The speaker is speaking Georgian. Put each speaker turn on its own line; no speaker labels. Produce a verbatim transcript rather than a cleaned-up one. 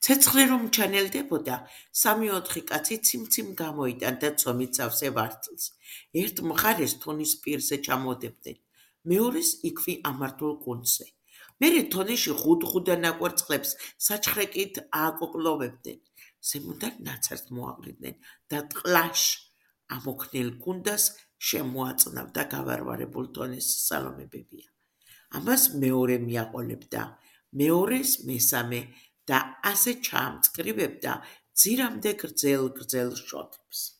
ცეცხლი რომ ჩანელდებოდა, სამი-ოთხი კაცი ციმციმ გამოიტანდა და ცომით სავსე ვართლს. ერთ მხარეს თონის პირზე ჩამოდებდნენ, მეორეს იქვე ამართულ კუნძზე. მერე თონიში ღუდ-ღუდა ნაკვერცხლებს საჩხრეკით ააკოკლოვებდნენ. ზემოდან ნაცართ მოაყრიდნენ და ტყლაშ ამოქნილ კუნდას შემოაწნავდა გავარვარებულ თონის სალომებებია. ამას მეორე მიაყოლებდა, მეორეს მესამე და ასე ჩაამწკრივებდა ძირამდე გრძელ-გრძელ შოთებს.